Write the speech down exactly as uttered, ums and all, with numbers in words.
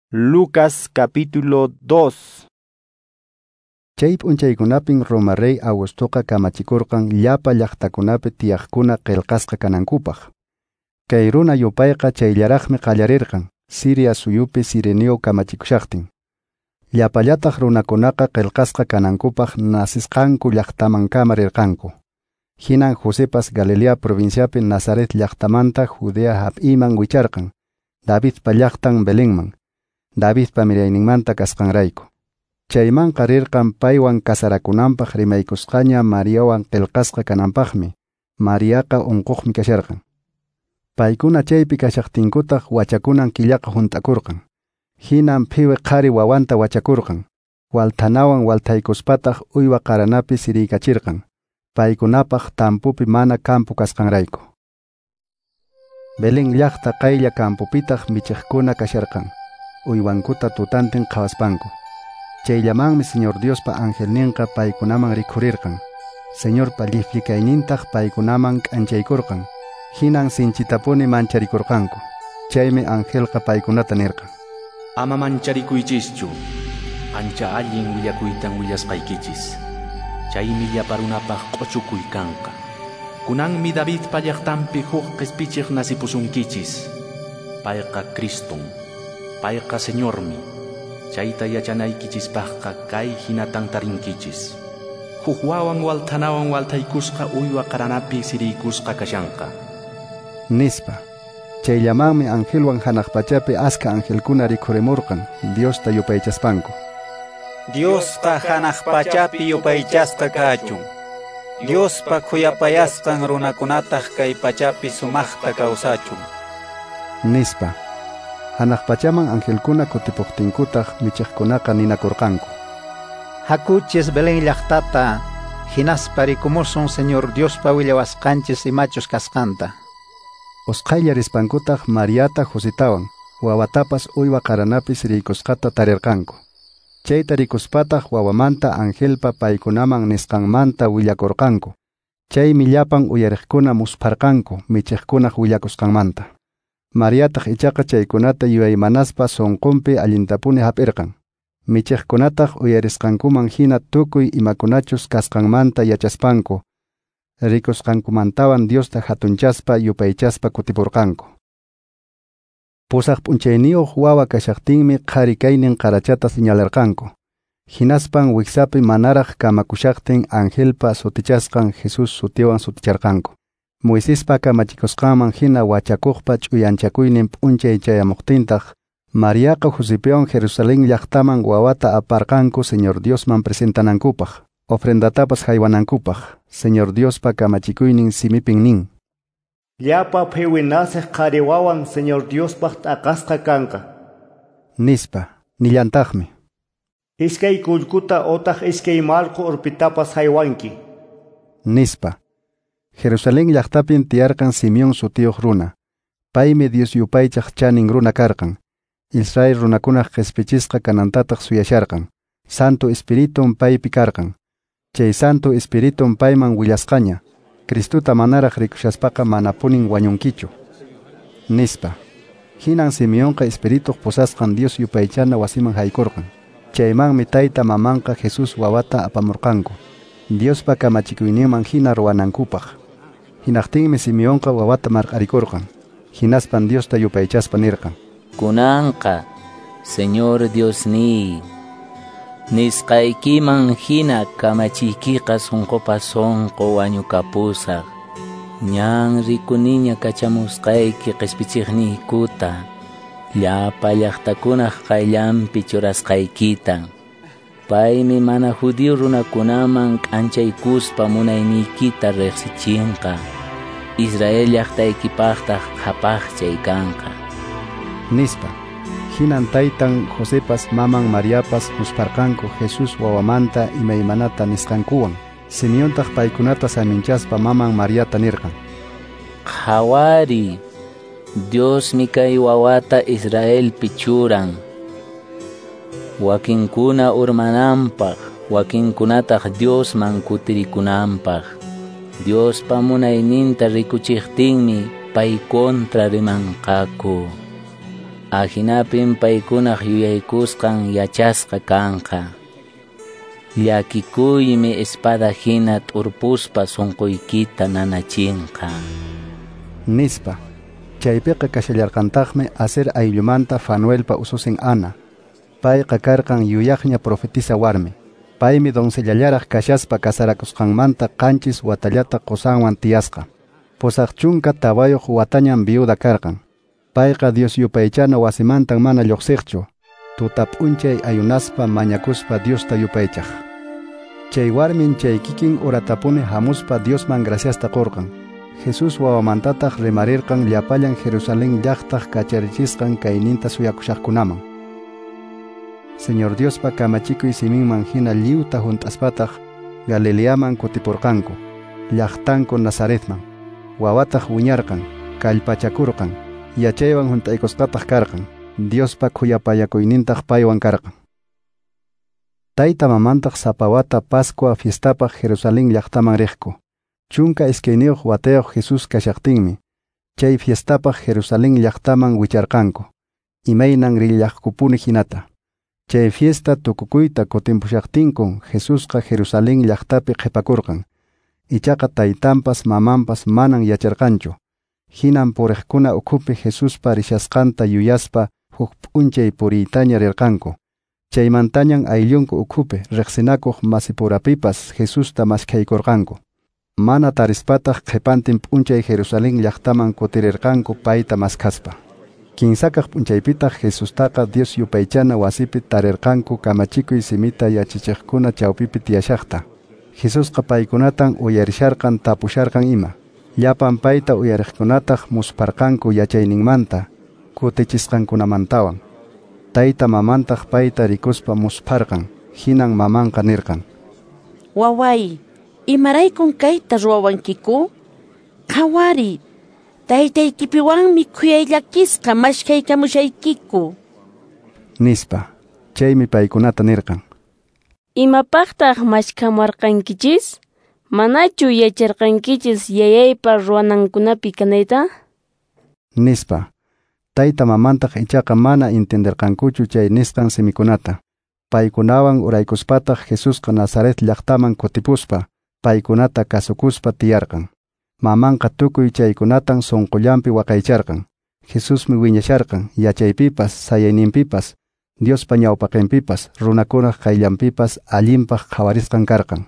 Lucas capítulo dos. Chay p'unchaykunapin Roma rey Augustoqa kamachikurqan llapa llaqtakunapi tiyaqkuna qillqasqa kanankupaq. Kay runa yupayqa chayllaraqmi qallarirqan Siria suyupi Sirenio kamachikushaqtin. Llapallataq runakunaqa qillqasqa kanankupaq nasisqanku llaqtamankama rirqanku. Hinan Josepas Galilea provinciapi Nazaret llaqtamanta Judea hap'iman wicharqan, Davidpa llaqtan Belenman, Davidpa mirayninmanta kasqanrayku. Chaymanqa rirqan paywan kasarakunanpaq rimaykusqaña Mariawan qillqasqa kananpaqmi. Mariaqa unquqmi kasharqan. Paykuna chaypi kashaqtinkutaq wachakunan killaqa hunt'akurqan. Hinan phiwi qhari wawanta wachakurqan. Walthanawan walthaykuspataq uywa qaranapi siriykachirqan. Paykunapaq tampupi mana kampu kasqanrayku. Belén llaqta qaylla kampupitaq michiqkuna kasharqan. Uywankuta tutantin qhawaspanku. Chayllamanmi Señor Diospa angelninqa paykunaman rikhurirqan. Señorpa lliflikaynintaq paykunaman k'anchaykurqan. Hinan sinchitapuni mancharikurqanku. Chaymi angelqa paykunata nirqan: Ama mancharikuychischu, ancha allin willakuytan willasqaykichis. Chaymi llapa runapaq q'uchukuy kanqa. Kunanmi Davidpa llaqtanpi huk qispichiq nasipusunkichis. Payqa Criston, payqa Señormi. Chayta yachanaykichispaqqa kay hinatan tarinkichis. Huk wawan walthanawan walthaykusqa uywa qaranapi siriykusqa kashanqa. Nispa. Chayllamanmi angelwan hanaq pachapi aska angelkuna rikhurimurqan Diosta yupaychaspanku. Diosqa hanaq pachapi yupaychasqa kachun. Diospa khuyapayasqan runakunataq kay pachapi sumaqta kawsachun. Nispa. Hanaq pachaman angelkuna kutipuqtinkutaq michiqkunaqa ninakurqanku: Hakuchis Belén llaqtata, hinaspa rikumusun Señor Diospa willawasqanchis imachus kasqanta. Usqhaylla rispankutaq Mariata Josetawan, wawatapas uywa qaranapi siriykusqata tarirqanku. Chayta rikuspataq wawamanta angelpa paykunaman nisqanmanta willakurqanku. Chaymi llapan uyariqkuna muspharqanku michiqkunaq willakusqanmanta. Mariataq ichaqa chaykunata yuyaymanaspa sunqunpi allintapuni hap'irqan. Michiqkunataq uyarisqankuman hina tukuy imakunachus kasqanmanta yachaspanku, rikusqankumantawan Diosta hatunchaspa yupaychaspa kutipurqanku. Pusaq p'unchayniyuq wawa kashaqtinmi qhari kaynin qarachata señalarqanku. Hinaspan wiksapi manaraq kamakushaqtin angelpa sutichasqan Jesús sutiwan suticharqanku. Moisespa kamachikusqanman hina wachakuqpa ch'uyanchakuynin p'unchay chayamuqtintaq, Mariaqa Josepiwan Jerusalén llaqtaman wawata aparqanku Señor Diosman presentanankupaq, ofrendatapas haywanankupaq. Señor Diospa kamachikuynin simipin nin: Llapa phiwi nasiq qhari wawan Señor Diospaq t'aqasqa kanqa. Nispa. Nillantaqmi: Iskay kullkuta otaq iskay mallqu urpitapas haywanki. Nispa. Jerusalén llaqtapin tiyarqan Simeón sutiyuq runa. Paymi Dios yupaychaq chanin runa karqan. Israel runakunaq qispichisqa kanantataq suyasharqan. Santo Espiritun paypi karqan. Chay Santo Espiritun payman willasqaña: Cristuta manaraq rikushaspaqa manapunin wañunkichu. Nispa. Hinan Simeonqa Espirituq pusasqan Dios yupaychana wasiman haykurqan. Chaymanmi tayta mamanqa Jesús wawata apamurqanku, Diospa kamachikuyninman hina ruwanankupaq. Hinaqtinmi Simeonqa wawata marq'arikurqan. Hinaspan Diosta yupaychaspa nirqan: Kunanqa, Señor Diosniy, nisqaykiman hina kamachiykiqa sunqupa sunqu wañukapusaq. Ñan rikuniña kachamusqayki qispichiqniykuta, llapa llaqtakunaq qayllanpi churasqaykita. Paymi mana judío runakunaman k'anchaykuspa munayniykita riqsichinqa. Israel llaqtaykipaqtaq qhapaqchay kanqa. Nispa. Hinan taytan Josepas maman Mariapas muspharqanku Jesús wawamanta imaymanata nisqankuwan. Simeontaq paykunata saminchaspa maman Mariata nirqan: Qhawari, Diosmi kay wawata Israelpi churan. Wakinkuna urmananpaq, wakinkunataq Diosman kutirikunanpaq. Diospa munayninta rikuchiqtinmi pay kontra rimanqaku. Ahinapin paykunaq yuyaykusqan yachasqa kanqa. Llakikuymi espada hina t'urpuspa sunquykita nanachinqa. Nispa. Chaypiqa kashallarqantaqmi Aser ayllumanta Fanuelpa ususin Ana. Payqa karqan yuyaqña profetisa warmi. Paymi doncellallaraq kashaspa kasarakusqanmanta qanchis watallata qosanwan tiyasqa. Pusaq chunka tawayuq watañan viuda karqan. Payqa Dios yupaychana wasimantan mana lluqsiqchu. Tuta p'unchay ayunaspa mañakuspa Diosta yupaychaq. Chay warmin chay kikin uratapuni hamuspa Diosman graciasta qurqan. Jesús wawamantataq rimarirqan llapallan Jerusalén llaqtaq kacharichisqan kayninta suyakushaqkunaman. Señor Diospa kamachikuy siminman hina lliwta hunt'aspataq Galileaman kutipurqanku, llaqtanku Nazaretman. Wawataq wiñarqan, kallpachakurqan, yachaywan hunt'aykusqataq karqan, Diospa khuyapayakuynintaq paywan karqan. Tayta mamantaq sapa wata Pascua fiestapaq Jerusalén llaqtaman riqku. Chunka iskayniyuq watayuq Jesús kashaqtinmi, chay fiestapaq Jerusalén llaqtaman wicharqanku, imaynan rillaqkupuni hinata. Chay fiesta tukukuyta kutimpushaqtinkun Jesusqa Jerusalén llaqtapi qhipakurqan. Ichaqa taytanpas mamanpas manan yacharqanchu. Hinan puriqkuna ukhupi Jesuspa rishasqanta yuyaspa huk p'unchay puriytaña rirqanku. Chaymantañan ayllunku ukhupi riqsinakuq masipurapipas Jesusta maskhaykurqanku. Mana tarispataq qhipantin p'unchay Jerusalén llaqtaman kutirirqanku payta maskhaspa. Kinsakaq p'unchaypitaq Jesustaqa Dios yupaychana wasipi tarirqanku kamachikuy simita yachachiqkuna chawpipi tiyashaqta. Jesusqa paykunatan uyarisharqan tapusharqan ima. Llapan payta uyariqkunataq musparqanku yachayninmanta, kutichisqankunamantawan. Tayta mamantaq payta rikuspa muspharqan, hinan mamanqa nirqan: Waway, imaraykun kayta ruwawankiku? Qhawari, taytaykipiwanmi khuyayllakisqa maskhaykamushaykiku. Nispa. Chaymi paykunata nirqan: Imapaqtaq maskhamuwarqankichis? Manachu yacharqankichis yayaypa ruwanankunapi kanayta? Nispa. Tayta mamantaq ichaqa mana entenderqankuchu chay nisqan simikunata. Paykunawan uraykuspataq Jesusqa Nazaret llaqtaman kutipuspa, paykunata kasukuspa tiyarqan. Mamanqa tukuy chaykunatan sunqullanpi waqaycharqan. Jesusmi wiñasharqan yachaypipas, sayayninpipas, Diospa ñawpaqinpipas, runakunaq qayllanpipas allinpaq qhawarisqan karqan.